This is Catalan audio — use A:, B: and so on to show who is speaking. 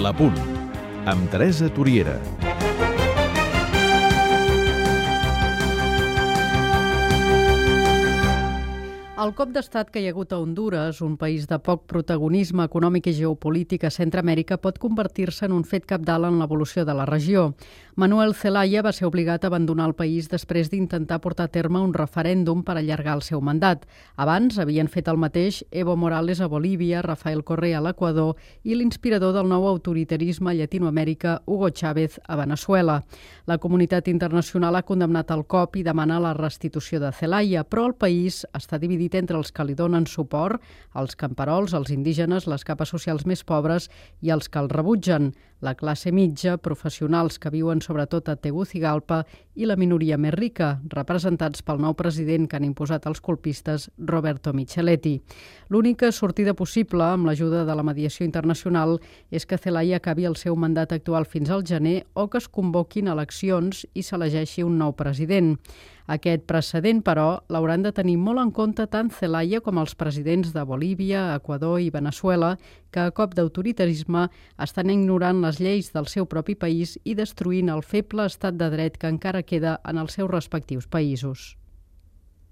A: La Punt, amb Teresa Toriera.
B: El cop d'estat que hi ha hagut a Hondures, un país de poc protagonisme econòmic i geopolític a Centreamèrica, pot convertir-se en un fet cabdal en l'evolució de la regió. Manuel Zelaya va ser obligat a abandonar el país després d'intentar portar a terme un referèndum per allargar el seu mandat. Abans havien fet el mateix Evo Morales a Bolívia, Rafael Correa a l'Equador i l'inspirador del nou autoritarisme a Llatinoamèrica, Hugo Chávez, a Veneçuela. La comunitat internacional ha condemnat el cop i demana la restitució de Zelaya, però el país està dividit entre els que li donen suport, els camperols, els indígenes, les capes socials més pobres i els que el rebutgen, la classe mitja, professionals que viuen sobretot a Tegucigalpa i la minoria més rica, representats pel nou president que han imposat els colpistes, Roberto Micheletti. L'única sortida possible, amb l'ajuda de la mediació internacional, és que Zelaya acabi el seu mandat actual fins al gener o que es convoquin eleccions i s'elegeixi un nou president. Aquest precedent, però, l'hauran de tenir molt en compte tant Zelaya com els presidents de Bolívia, Equador i Veneçuela, que a cop d'autoritarisme estan ignorant les lleis del seu propi país i destruint el feble estat de dret que encara queda en els seus respectius països.